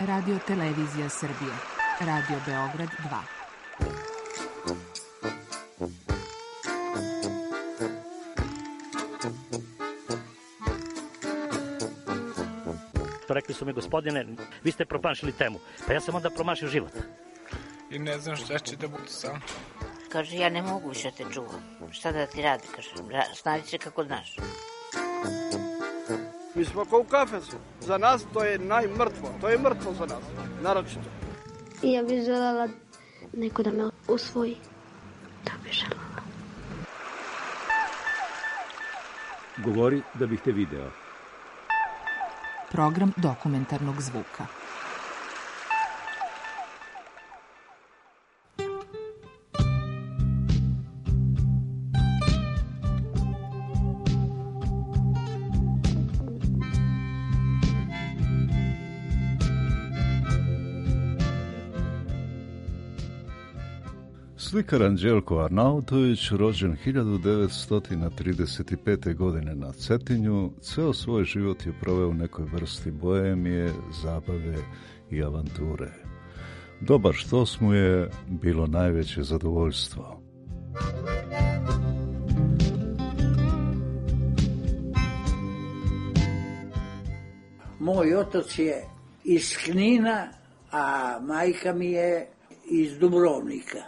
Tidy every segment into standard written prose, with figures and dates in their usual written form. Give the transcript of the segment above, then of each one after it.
Radio Televizija Srbije. Radio Beograd 2. Rekli su mi, gospodine, vi ste promašili temu. Pa ja sam onda promašio život. I ne znam šta će da bude sam. Kaže, ja ne mogu više te čuvam. Šta da ti radi? Kaže, snađi se kako znaš. Mi smo kao u kafesu. Za nas to je najmrtvo. To je mrtvo za nas. Naročito. I ja bih željela neko da me usvoji. Da bih željela. Govori da bih te video. Program dokumentarnog zvuka. Slikar Anđelko Arnautović, rođen 1935. godine na Cetinju, ceo svoj život je proveo u nekoj vrsti boemije, zabave i avanture. Dobar štos mu je bilo najveće zadovoljstvo. Moj otac je iz Knina, a majka mi je iz Dubrovnika.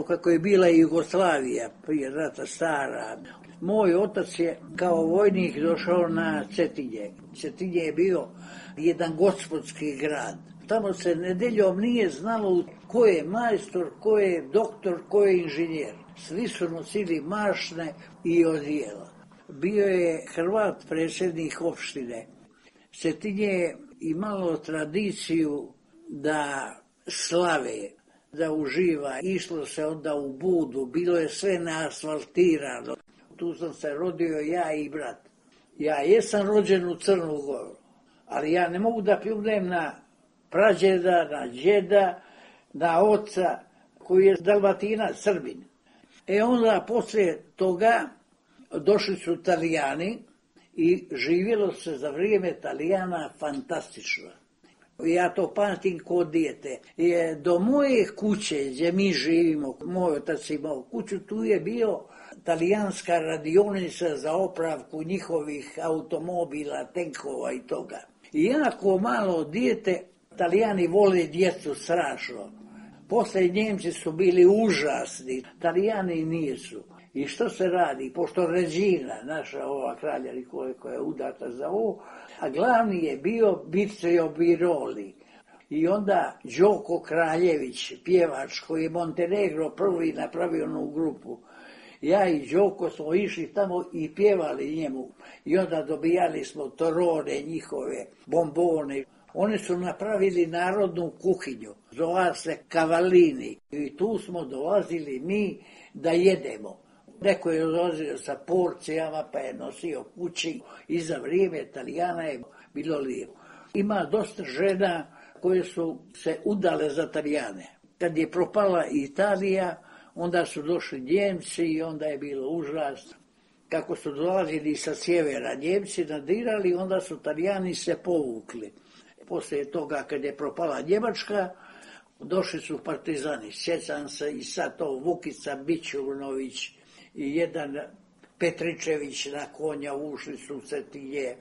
Kako je bila Jugoslavija, prije rata stara, moj otac je kao vojnik došao na Cetinje. Cetinje je bio jedan gospodski grad. Tamo se nedeljom nije znalo ko je majstor, ko je doktor, ko je inženjer. Svi su nosili mašne i odijela. Bio je Hrvat, predsjednik opštine. Cetinje je imalo tradiciju da slave, da uživa. Išlo se onda u Budu, bilo je sve neasfaltirano. Tu sam se rodio ja i brat. Ja jesam rođen u Crnu Goru, ali ja ne mogu da pljuvnem na prađeda, na džeda, na oca koji je Dalmatinac, Srbin. Onda poslije toga došli su Italijani i živjelo se za vrijeme Italijana fantastično. Ja to pamtim kod dijete. Do moje kuće gdje mi živimo, moj otac imao kuću, tu je bio talijanska radionica za opravku njihovih automobila, tenkova i toga. I jako malo dijete, Talijani vole djecu strašno. Poslije Njemci su bili užasni, Talijani nisu. I što se radi? Pošto Regina, naša ova kralja koja je udata za ovo, a glavni je bio Biceo Biroli. I onda Đoko Kraljević, pjevač koji je Montenegro prvi napravio onu grupu. Ja i Đoko smo išli tamo i pjevali njemu. I onda dobijali smo torone njihove, bombone. Oni su napravili narodnu kuhinju, zova se Cavallini. I tu smo dolazili mi da jedemo. Neko je dolazio sa porcijama pa je nosio kući i za vrijeme Italijana je bilo lijepo. Ima dosta žena koje su se udale za Italijane. Kad je propala Italija, onda su došli Njemci i onda je bilo užasno. Kako su dolazili sa sjevera, Njemci nadirali, onda su Italijani se povukli. Poslije toga, kad je propala Njemačka, došli su partizani. Sjećam se i sad to Vukica Bićunović i jedan Petričević na konja ušli su u Cetinje.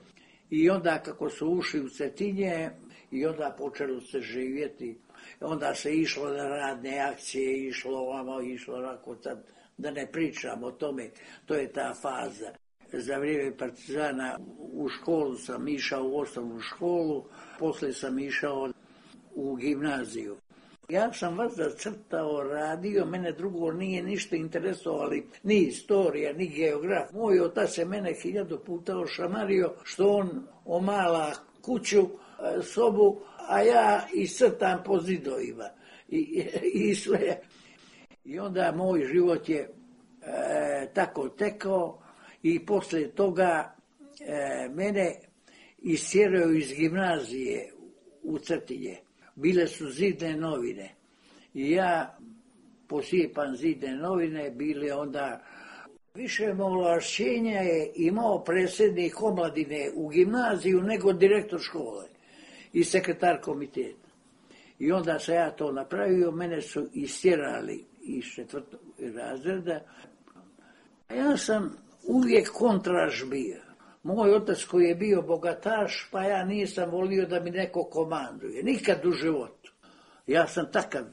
I onda kako su ušli u Cetinje, i onda počelo se živjeti. Onda se išlo na radne akcije, išlo ovamo, išlo onako, da ne pričam o tome, to je ta faza. Za vrijeme partizana u školu sam išao, u osnovnu školu, poslije sam išao u gimnaziju. Ja sam vas zacrtao, radio, mene drugo nije ništa interesovali, ni istorija, ni geograf. Moj otac je mene 1000 puta ošamario što on omala kuću, sobu, a ja iscrtam po zidovima i sve. I onda moj život je tako tekao i poslije toga mene istjeraju iz gimnazije u Cetinje. Bile su zidne novine i ja posijepam zidne novine, bile onda više ovlašćenja je imao predsjednik omladine u gimnaziju nego direktor škole. i sekretar komiteta. I onda sam ja to napravio, mene su istjerali iz 4. razreda. Ja sam uvijek kontraž bio. Moj otac koji je bio bogataš, pa ja nisam volio da mi neko komanduje. Nikad u životu. Ja sam takav.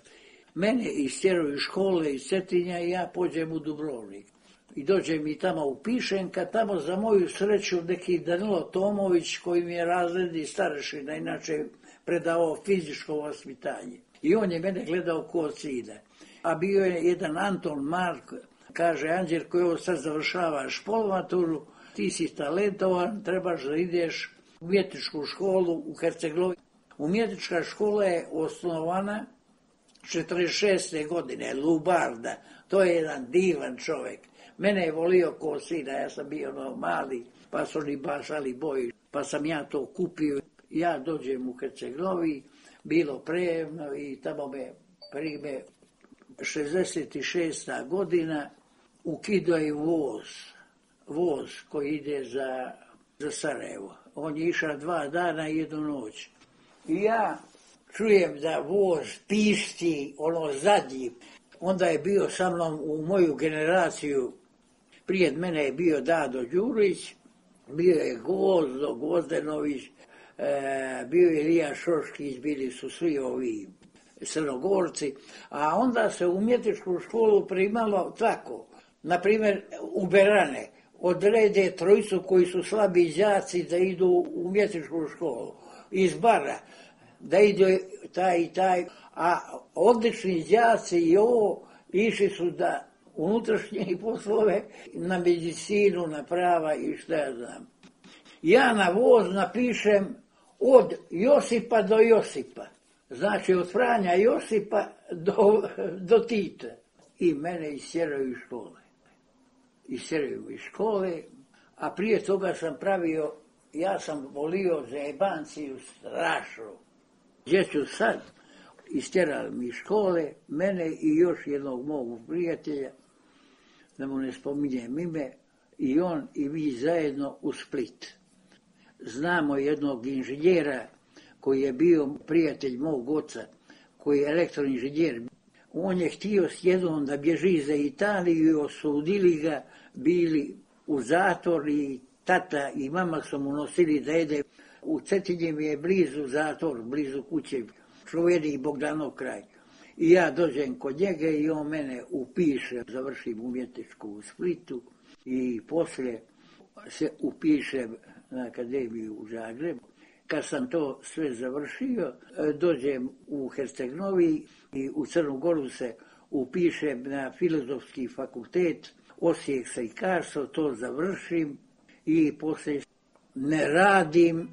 Mene istjeraju iz škole, iz Cetinja i ja pođem u Dubrovnik. I dođem i tamo u Pišenka, tamo za moju sreću neki Danilo Tomović koji mi je razredni starešina, inače predavao fizičko vaspitanje. I on je mene gledao ko sina. A bio je jedan Anton Mark, kaže Anđelko, ovo sad završavaš polmaturu, ti si talentovan, trebaš da ideš u umjetničku školu u Hercegovini. Umjetnička škola je osnovana 46. godine, Lubarda, to je jedan divan čovjek. Mene je volio ko sina, ja sam bio mali, pa su oni bašali boji, pa sam ja to kupio. Ja dođem u Hercegovini, bilo prejemno i tamo me prime 66. godina, ukidaju voz koji ide za Sarajevo. On je išao 2 dana i 1 noć. I ja čujem da voz pišti, ono zadnji. Onda je bio sa mnom u moju generaciju, prije mene je bio Dado Đurić, bio je Gvozdo Gvozdenović, bio je Ilija Šoškić, bili su svi ovi Crnogorci, a onda se u umjetničku školu primalo tako. Naprimjer, u Berane odrede 3 koji su slabi đaci da idu u umjetničku školu. Iz Bara, da idu taj i taj, a odlični đaci i ovo išli su da unutrašnje poslove, na medicinu, na prava i šta ja znam. Ja na voz napišem od Josipa do Josipa. Znači od Franja Josipa do Tita. I mene istjeraju iz škole. Istjeraju iz škole, a prije toga sam pravio, ja sam volio zajebanciju strašno. Gdje ću sad? Istjerali mi iz škole, mene i još jednog mog prijatelja, da mu ne spominjem ime, i on i mi zajedno u Split. Znamo jednog inženjera koji je bio prijatelj mog oca, koji je elektroinženjer. On je htio s jednom da bježi za Italiju i osudili ga, bili u zatvor i tata i mama su mu nosili da jede. U Cetinje mi je blizu zatvor, blizu kuće, Čuveni i Bogdanov kraj. I ja dođem kod njega i on mene upiše, završim umjetničku u Splitu i poslije se upišem na akademiju u Zagrebu. Kad sam to sve završio, dođem u Herceg-Novi i u Crnu Goru se upišem na Filozofski fakultet, Osijek slikarstvo, to završim i poslije ne radim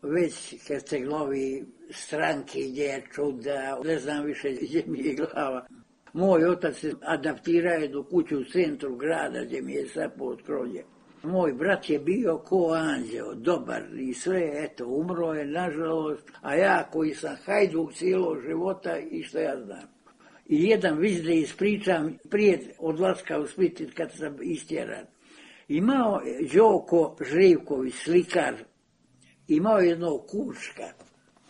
već Herceg-Novi strankinje, čuda, ne znam više gdje mi je glava. Moj otac se adaptirao do kuću u centru grada gdje mi je sad pod krovlje. Moj brat je bio ko anđeo, dobar i sve, eto, umro je, nažalost, a ja koji sam hajduk cijelog života i što ja znam. I jedan vic da ispričam prije odlaska u Split kad sam istjeran. Imao Đoko Živković, slikar, imao jednog kučka.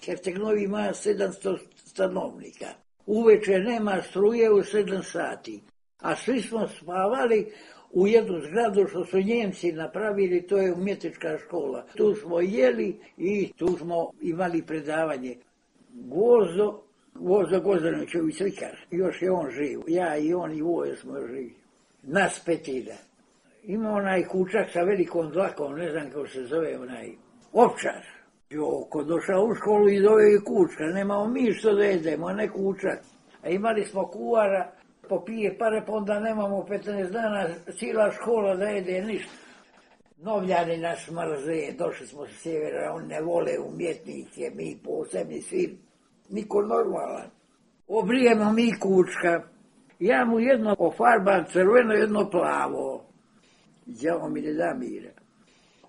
Herceg-Novi ima 700 stanovnika. Uveče nema struje u 7 sati, a svi smo spavali u jednu zgradu što su Njemci napravili, to je umjetnička škola. Tu smo jeli i tu smo imali predavanje. Gvozdo Gvozdenović slikar, još je on živ. Ja i on i Voje smo živi. Nas 5. Ima onaj kučak sa velikom dlakom, ne znam kako se zove onaj, Ovčar. Joko došao u školu i doveo i kučka, nemamo mi što da jedemo, ne kučak. A imali smo kuvara, popije pare, pa onda nemamo 15 dana, cijela škola da jede ništa. Novljani nas mrze, došli smo sa sjevera, oni ne vole umjetnike, mi posebni svi, niko normalan. Obrijemo mi kučka, ja mu jedno ofarbam crveno, jedno plavo. Đavo mi ne da mira.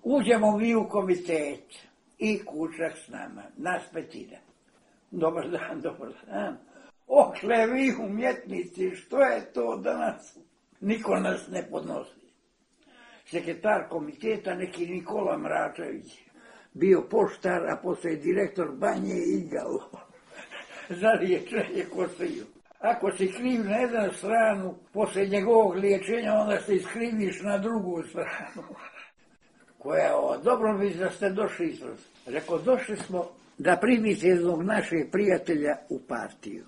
Uđemo mi u komitet i kučak s nama, nas 5. Dobar dan. Okle vi umjetnici, što je to danas? Niko nas ne podnosi. Sekretar komiteta, neki Nikola Mračević, bio poštar, a poslije direktor banje i igalo. Za liječenje kostiju. Ako si kriv na jednu stranu, poslije njegovog liječenja, onda se iskriviš na drugu stranu. Koja dobro bi da ste došli izraz. Rekao, došli smo da primite jednog našeg prijatelja u partiju.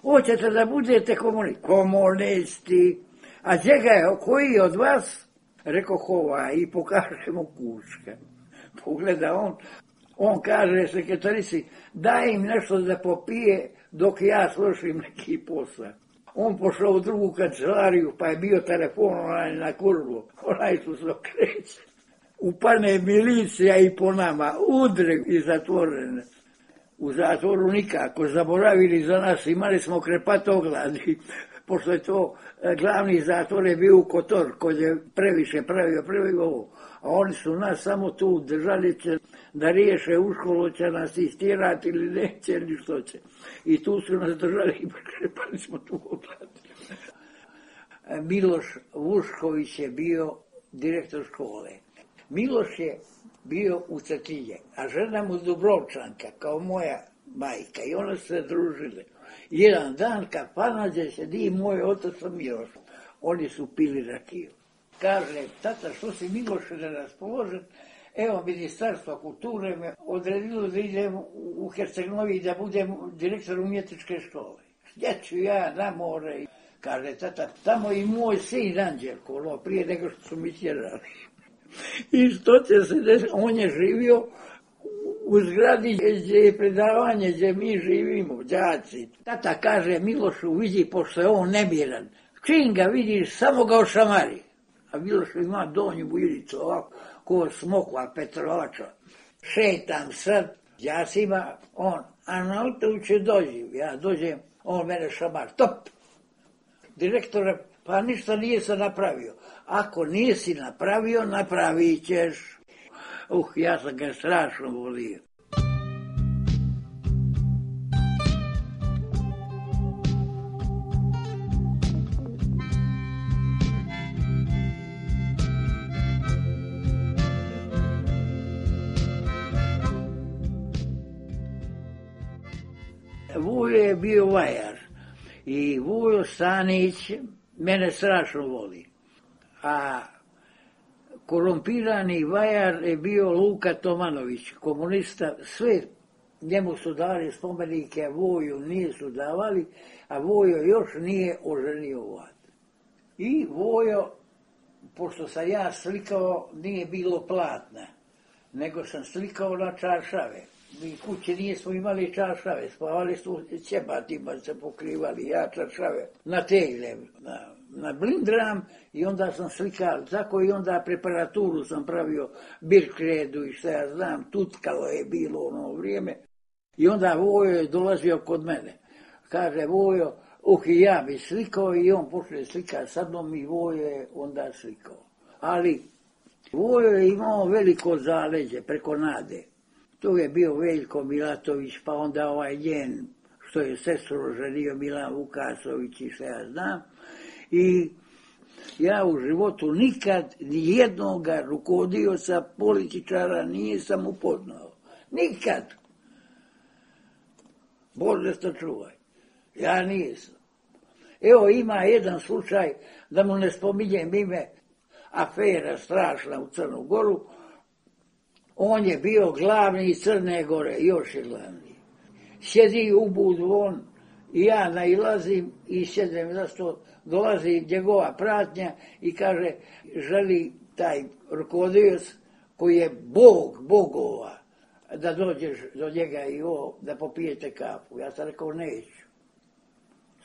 Hoćete da budete komunisti? Komunisti. A čega je, koji od vas? Rekao, hova, i pokaže mu Kučka. Pogleda on kaže sekretarici, daj im nešto da popije dok ja slušim neki posao. On pošao u drugu kancelariju, pa je bio telefon na kurvu, onaj su se okreće. Upane milicija i po nama, udre i zatvorene. U zatvoru nikako, zaboravili za nas, imali smo krepatogladi, pošto je to glavni zatvor je bio u Kotor, koji je previše pravio ovo. A oni su nas samo tu držali će da riješe u školu, će nas istirati ili neće ili što će. I tu su nas držali i krepali smo tu ogladi. Miloš Vušković je bio direktor škole. Miloš je bio u Cetinje, a žena mu Dubrovčanka, kao moja majka, i one su se družile. Jedan dan kad panađe sedi moj otac sa Milošom, oni su pili rakiju. Kaže, tata, što si Miloš neraspoložen? Evo, Ministarstvo kulture me odredilo da idem u Herceg-Novi da budem direktor umjetničke škole. Gdje ću ja na more? Kaže, tata, tamo i moj sin Anđelko, prije nego što su mi tjerali. I što će se desiti? On je živio u zgradi gdje je predavanje, gdje mi živimo, đaci. Tata kaže Milošu, vidi, pošto je on nemiran, čim ga vidiš, samo ga ošamari. A Miloš ima donju bujilicu, ovako, ko smokva Petrovača. Šetam sad, đacima, a na autobusu dođem, ja dođem, on mene šamar, top. Direktore, pa ništa nije se napravio. Ako nisi napravio, napravit ćeš. Ja sam ga strašno volio. Vujo je bio vajar i Vujo Stanić mene strašno voli. A korumpirani vajar je bio Luka Tomanović, komunista, sve njemu su dali spomenike, a Vuju nisu davali, a Vujo još nije oženio vlad. I Vujo, pošto sam ja slikao, nije bilo platna, nego sam slikao na čaršave. Mi kući nismo imali čaršave, spavali smo ćebatima, se pokrivali, ja čaršave, na tegle, na blindram, i onda sam slikao, tako i onda preparaturu sam pravio, birkredu i šta ja znam, tutkalo je bilo ono vrijeme. I onda Vojo je dolazio kod mene. Kaže Vojo, i ja bi slikao, i on počne slikati sa mnom i Vojo je onda slikao. Ali Vojo je imao veliko zaleđe preko Nade. Tu je bio Veljko Milatović, pa onda ovaj njen, što je sestru ženio, Milan Vukasović i šta ja znam. I ja u životu nikad nijednoga rukovodioca, političara nisam upoznao. Nikad. Bože što čuvaj. Ja nisam. Evo ima jedan slučaj, da mu ne spominjem ime, afera strašna u Crnu Goru. On je bio glavni Crne Gore, još je glavni. Sjedi u budu on, i ja nailazim i sjedem zašto dolazi njegova pratnja i kaže, želi taj rukovodioc koji je Bog bogova, da dođeš do njega i da popijete kafu. Ja sam rekao, neću.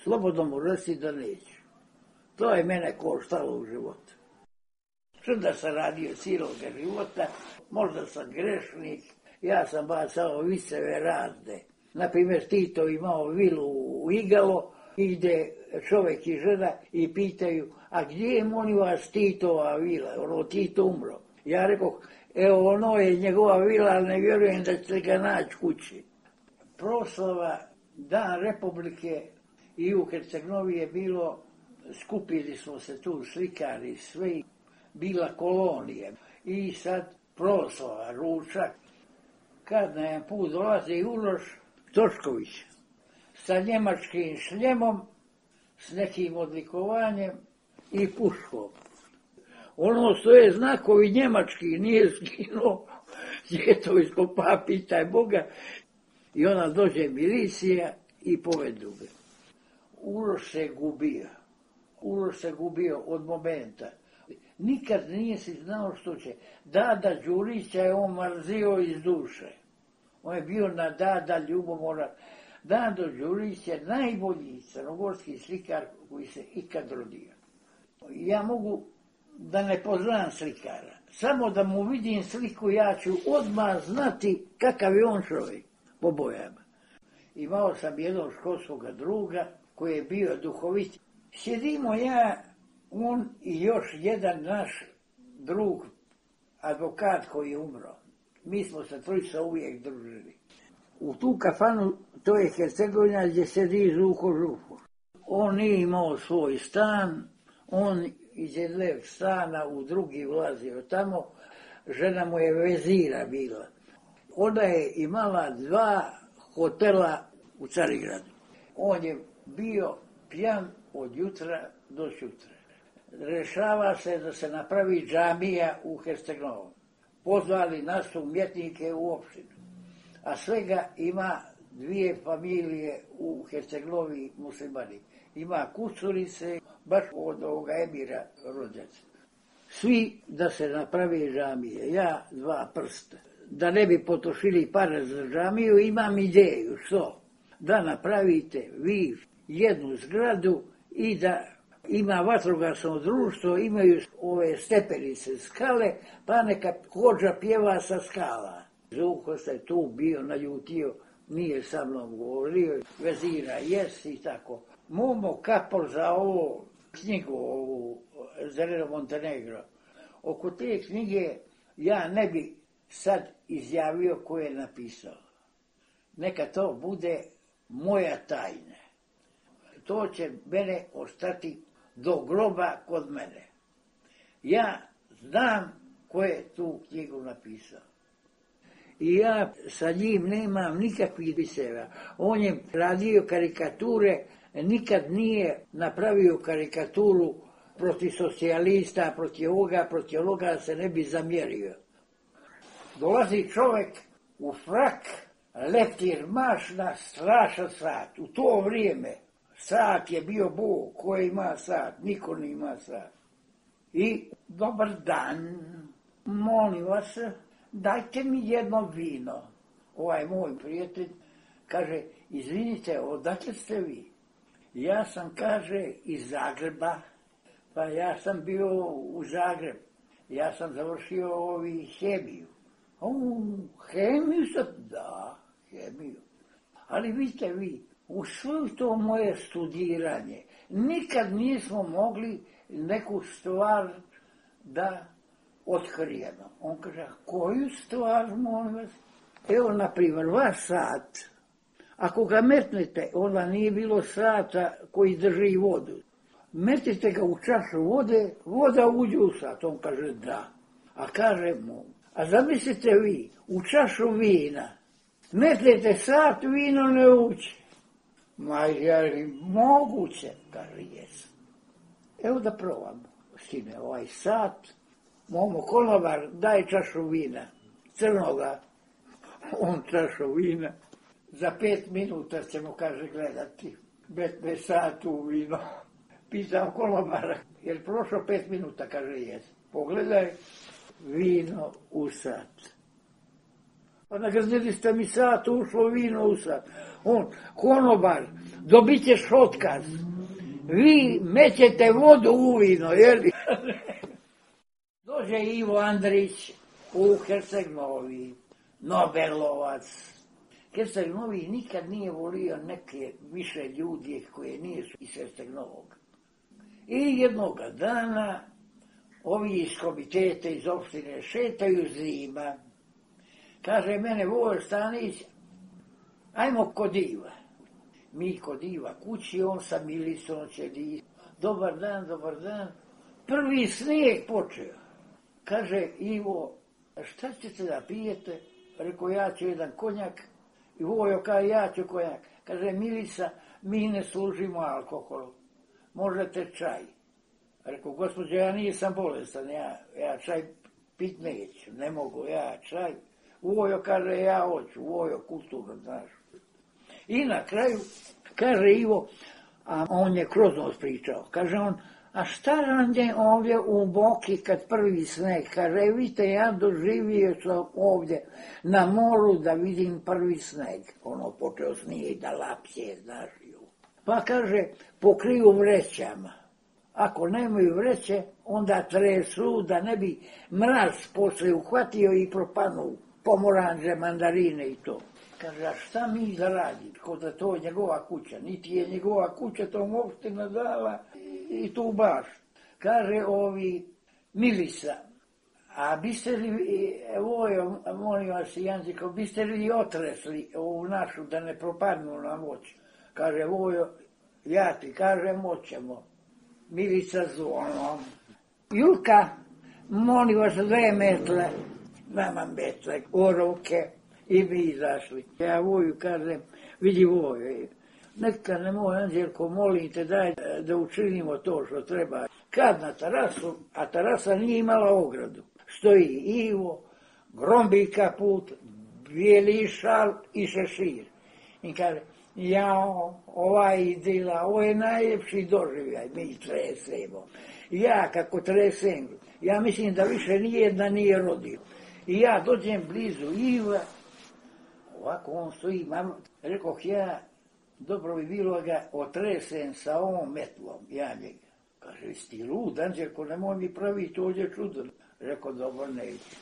Slobodno mu reci da neću. To je mene koštalo u životu. Čuda sam radio cijeloga života, možda sam grešnik, ja sam bacao viceve razne. Naprimjer, Tito imao vilu u Igalo, ide čovjek i žena i pitaju, a gdje je molim vas Titova vila? Ono, Tito umro. Ja rekao, evo ono je njegova vila, ali ne vjerujem da ćete ga naći kući. Proslava Dan Republike i u Herceg-Novi je bilo, skupili smo se tu slikari, sve, bila kolonija. I sad proslava, ručak. Kad na jedan put dolazi Uroš Tošković sa njemačkim šljemom, s nekim odlikovanjem i puškom. Ono što je znakovi njemački nije skinuo, je to iskopa, pitaj Boga, i ona dođe milicija i povedu ga. Uroš se gubio od momenta. Nikad nije si znao što će. Dada Đurića je on mrzio iz duše. On je bio na Dada ljubomora. Dado Đurić je najbolji crnogorski slikar koji se ikad rodio. Ja mogu da ne poznam slikara. Samo da mu vidim sliku, ja ću odmah znati kakav je on čovjek po bojama. Imao sam jednog školskog druga koji je bio duhovit. Sjedimo ja, on i još jedan naš drug, advokat koji je umro. Mi smo se trojica uvijek družili. U tu kafanu, to je Hercegovina gdje sedi Žuko Žuko. On nije imao svoj stan, on iz jednog stana u drugi ulazio tamo, žena mu je vezira bila. Ona je imala 2 hotela u Carigradu. On je bio pijan od jutra do sutra. Rešava se da se napravi džamija u Herceg-Novom. Pozvali nas umjetnike u opštinu. A svega ima 2 familije u Herceg-Novi muslimani. Ima Kucurice, baš od ovoga Emira rođaca. Svi da se napravi džamije. Ja 2 prsta. Da ne bi potrošili pare za džamiju, imam ideju. Što? Da napravite vi jednu zgradu i da ima vatrogasno društvo, imaju ove stepenice, skale, pa neka hođa pjeva sa skala. Žuko se tu bio naljutio, nije sa mnom govorio, vezira, jes i tako. Momo kapol za ovo knjigu, ovu Zereno Montenegro. Oko te knjige ja ne bi sad izjavio ko je napisao. Neka to bude moja tajna. To će mene ostati do groba kod mene. Ja znam ko je tu knjigu napisao. I ja sa njim nemam nikakvih bisera. On je radio karikature, nikad nije napravio karikaturu protiv socijalista, protiv ovoga se ne bi zamjerio. Dolazi čovjek u frak, leptir mašna, strašan sat. U to vrijeme sat je bio Bog, ko ima sat, niko ne ima sat. I dobar dan, molim vas, dajte mi jedno vino. Ovaj moj prijatelj kaže, izvinite, odakle ste vi? Ja sam, kaže, iz Zagreba, pa ja sam bio u Zagreb. Ja sam završio hemiju. Hemiju sad? Da, hemiju. Ali vidite vi, u svo to moje studiranje nikad nismo mogli neku stvar da otkrijemo. On kaže, koju stvar, molim vas? Evo, na primjer, vaš sat. Ako ga metnete, onda nije bilo sata koji drži vodu. Metite ga u čašu vode, voda uđe u sat. On kaže, da. A kaže mu, a zamislite vi, u čašu vina, metnete sat, vino ne uđe. Ma je moguće, kaže, jesam. Evo da probamo. Sine, ovaj sat, momo konobar, daj čašu vina, crnoga. On čašu vina. Za 5 minuta ćemo, kaže, gledati. Metne sat u vino. Pitam konobara, jer prošlo 5 minuta, kaže, jes. Pogledaj, vino u sat. Pa nagazili ste mi sat, ušlo vino u sat. On, konobar, dobit ćeš otkaz. Vi mećete vodu u vino, jer? Dođe Ivo Andrić u Herceg-Novi, Nobelovac. Herceg-Novi nikad nije volio neke više ljudi koje nisu iz Herceg-Novog. I jednoga dana ovi iz komitete iz opštine šetaju zima. Kaže mene, Vojo Stanić, ajmo kod Iva. Mi kod Iva kući, on sa Milicom ćedi. Dobar dan, dobar dan. Prvi snijeg počeo. Kaže Ivo, šta ćete da pijete? Rekao, ja ću jedan konjak. I Vojo kaže, ja ću konjak. Kaže, Milica, mi ne služimo alkohol. Možete čaj. Rekao, gospođo, ja nisam bolestan, ja čaj pit neću, ne mogu ja čaj. Vojo kaže, ja hoću, Vojo kulturno, znaš. I na kraju, kaže Ivo, a on je kroz nos pričao, kaže on, a šta rande ovdje u Boki kad prvi sneg? Kaže, vidite, ja doživio sam ovdje na moru da vidim prvi sneg. Ono počeo snijeg da lapsje, znaš. Pa kaže, pokriju vrećama. Ako nemaju vreće, onda tresu da ne bi mraz posle uhvatio i propanu pomoranđe, mandarine i to. Kaže, a šta mi da radi? Ko da to je njegova kuća. Niti je njegova kuća, to mu opština dala i tu baš. Kaže Milica, a biste li, Vojo, molim vas, Janziko, biste li otresli ovu našu da ne propadnu na moć? Kaže, Vojo, ja ti kažem, moćemo. Milica zvonom. Julka, molim vas, 2 metle, nama metle, orovke, i mi izašli. Ja Voju kažem, vidi Vojo, neka ne moj Anđelko, molim te, daj da učinimo to što treba. Kad na terasu, a terasa nije imala ogradu, stoji Ivo, grombi kaput, bijeli šal i šešir. I kaže, jao, ova idila, ovo je najljepši doživljaj, mi tresemo. Ja kako tresem, ja mislim da više nijedna nije rodio. I ja dođem blizu Iva, ovako on stoji, rekoh ja, dobro bi bilo ga otresem sa ovom metlom, ja njega. Kaže, vi si lud, Anđelko, nemoj mi praviti ovdje čudo. Rekao, dobro, neću.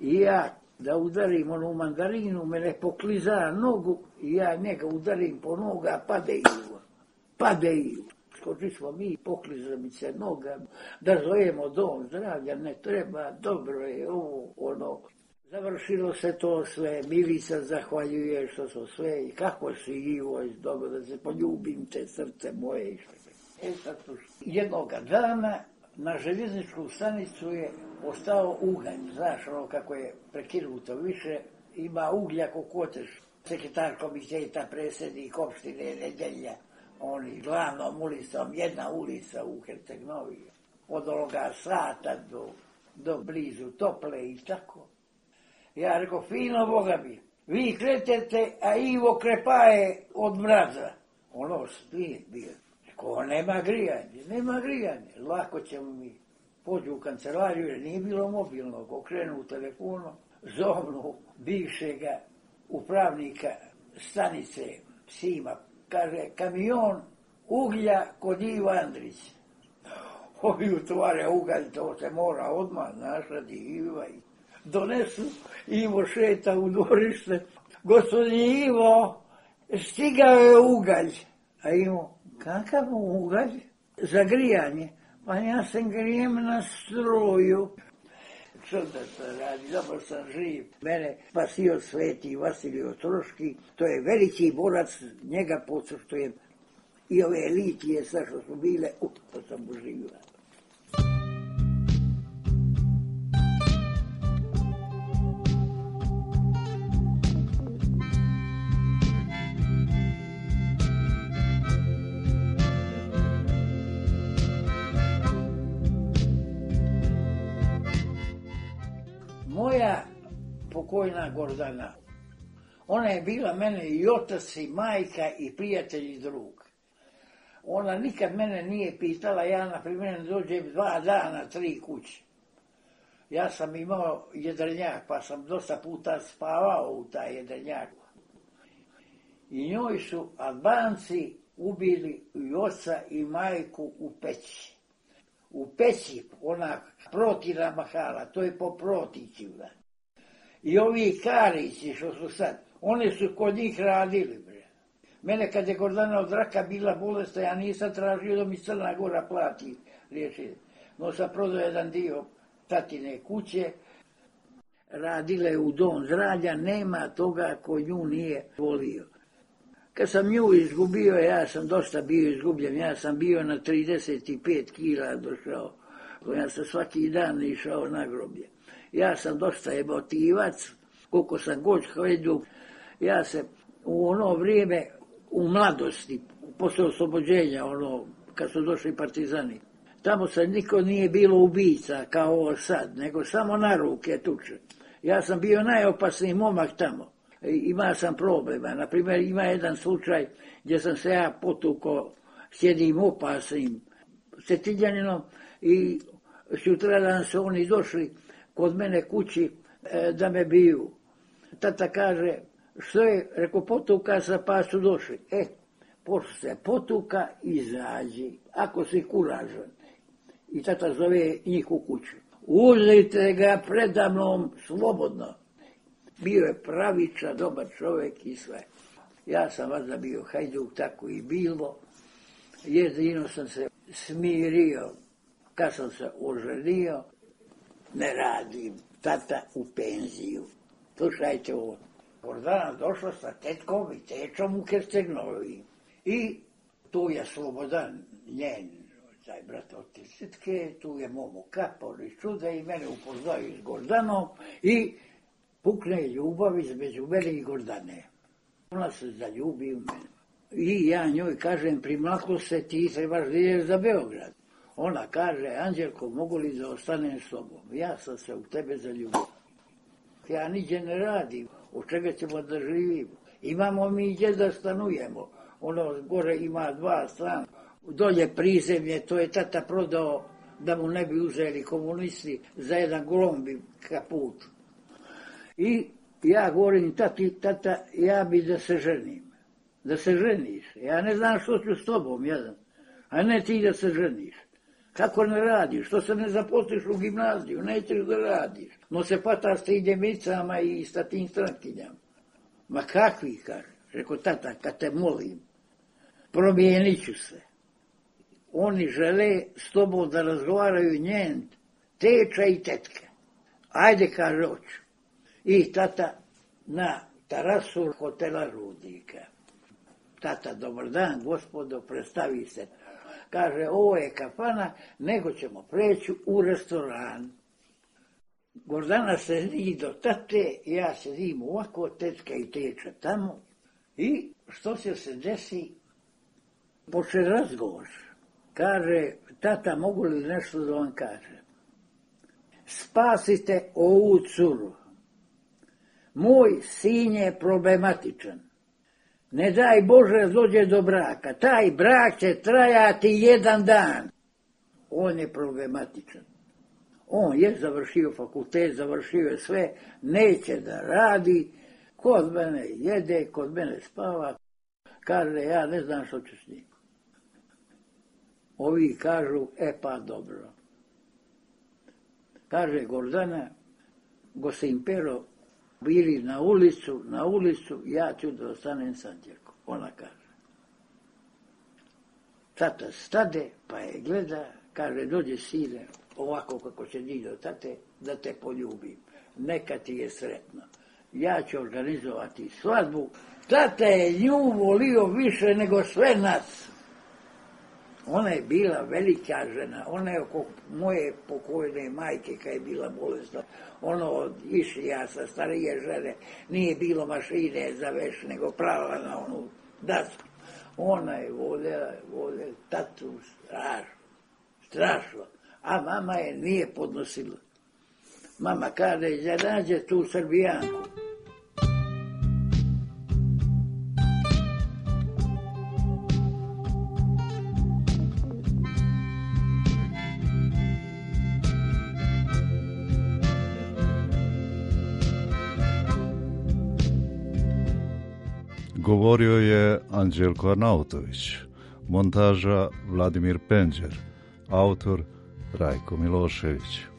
I ja da udarim onu mandarinu, mene pokliza nogu i ja njega udarim po noga, pade Ivo. Skoči smo mi, pokliza mi se noga, da zovemo dom zdravlja, ne treba, dobro je ovo, ono. Završilo se to sve, Milica zahvaljuje što su sve i kako si Ivo, dobro da se poljubim te srce moje. Jednoga dana na željezničku stanicu je ostao ugalj, znaš ono kako je prekinuto, više ima uglja ko koteš. Sekretar komiteta, predsjednik opštine Nedelja, oni glavnom ulicom, jedna ulica u Herceg-Novi, od ovoga sata do blizu Tople i tako. Ja rekao, fino Boga mi, vi kretete, a Ivo krepaje od mraza. Ono spije bio. Ko nema grijanje, lako ćemo mi. Pođu u kancelariju, jer nije bilo mobilnog, okrenu u telefonu, zovnu bivšega upravnika stanice Sima, kaže, kamion uglja kod Iva Andrića. Ovi utvare ugalj, to se mora odmah, znaš, radi Iva. Donesu, Ivo šeta u dvorište, gospodin Ivo, stigao je ugalj. A Ivo, kakav ugalj? Za grijanje. Pa ja sam grijem na struju. Što da se radi, dobro sam živ. Mene spasio sveti Vasilij Ostroški, to je veliki borac, njega pocrštujem. I ove litije sve što su bile, to sam uživila. Moja pokojna Gordana, ona je bila mene i otac i majka i prijatelj i drug. Ona nikad mene nije pitala, ja na primjer dođem 2 dana, 3 kuće. Ja sam imao jedrenjak, pa sam dosta puta spavao u taj jedrenjak. I njoj su Albanci ubili i oca i majku u peći. U peći, ona protina mahala, to je po protićima. I ovi Karići što su sad, oni su kod njih radili, bre. Mene kad je Gordana od raka bila bolesna, ja nisam tražio da mi Crna Gora plati liječenje. No sam prodao jedan dio tatine kuće, radile u dom zdravlja, nema toga ko nju nije volio. Kad sam nju izgubio, ja sam dosta bio izgubljen, ja sam bio na 35 kila došao, ja sam svaki dan išao na groblje. Ja sam dosta emotivac, koliko sam god Hajduk. Ja se u ono vrijeme, u mladosti, posle oslobođenja, kad su došli partizani, tamo se niko nije bilo ubica kao ovo sad, nego samo na ruke tuče. Ja sam bio najopasniji momak tamo. Ima sam problema. Naprimjer, ima jedan slučaj gdje sam se ja potukao s jednim opasnim Cetinjaninom i sutradan su oni došli kod mene kući da me biju. Tata kaže, što je? Rekao, potuka se pa su došli. Pošto se potuka, izađi, ako si kuražan. I tata zove njih u kuću. Uzmite ga predamnom slobodno. Bio je pravičan, dobar čovjek i sve. Ja sam vazda bio Hajduk, tako i bilo. Jedino sam se smirio, kad sam se oženio, ne radim, tata u penziju. Slušajte ovo. Gordana došla sa tetkom i tečom u Kerstenovi. I tu je Slobodan, njen, taj brat od tetke, tu je Momo Kapor iz Čuda i mene upoznaju s Gordanom i pukne ljubav između mene i Gordane. Ona se zaljubi u mene. I ja njoj kažem, primlako se, ti trebaš da ideš za Beograd. Ona kaže, Anđelko, mogu li da ostanem s tobom? Ja sam se u tebe zaljubio. Ja niđe ne radim, od čega ćemo da živimo. Imamo mi gdje da stanujemo. Gore ima 2 strana. Dolje prizemlje, to je tata prodao da mu ne bi uzeli komunisti za jedan glombi kaput. I ja govorim, tata, ja bi da se ženim. Da se ženiš. Ja ne znam što ću s tobom, jedan. A ne ti da se ženiš. Kako ne radiš? Što se ne zaposliš u gimnaziju? Nećeš da radiš. No se pata s tim djemicama i sa tim strankinjama. Ma kakvi, kaže. Rekao, tata, kad te molim, promijenit ću se. Oni žele s tobom da razgovaraju njen teča i tetka. Ajde, kaže, hoću. I tata na terasu hotela Rudnika. Tata, dobar dan, gospodo, predstavi se. Kaže, ovo je kafana, nego ćemo preći u restoran. Gordana se zdi do tate, ja sedim ovako, tetka i teča tamo. I što se desi? Poče razgovor. Kaže, tata, mogu li nešto da vam kaže? Spasite ovu curu. Moj sin je problematičan. Ne daj Bože dođe do braka. Taj brak će trajati 1 dan. On je problematičan. On je završio fakultet, završio je sve, neće da radi. Kod mene jede, kod mene spava. Kaže, ja ne znam što ću s njim. Ovi kažu, pa dobro. Kaže Gordana, gosim Pero, bili na ulicu, ja ću da ostanem s Anđelkom. Ona kaže. Tata stade, pa je gleda, kaže, dođe sine, ovako kako će njih do tate, da te poljubim. Neka ti je sretno. Ja ću organizovati svadbu. Tata je nju volio više nego sve nas. Ona je bila velika žena, ona je oko moje pokojne majke kad je bila bolesna. Išlija sa starije žene, nije bilo mašine za veš, nego prava na onu dasku. Ona je voljela tatu strašno, a mama je nije podnosila. Mama kaže, da nađe tu Srbijanku. Govorio je Anđelko Arnautović, montaža Vladimir Penđer, autor Rajko Milošević.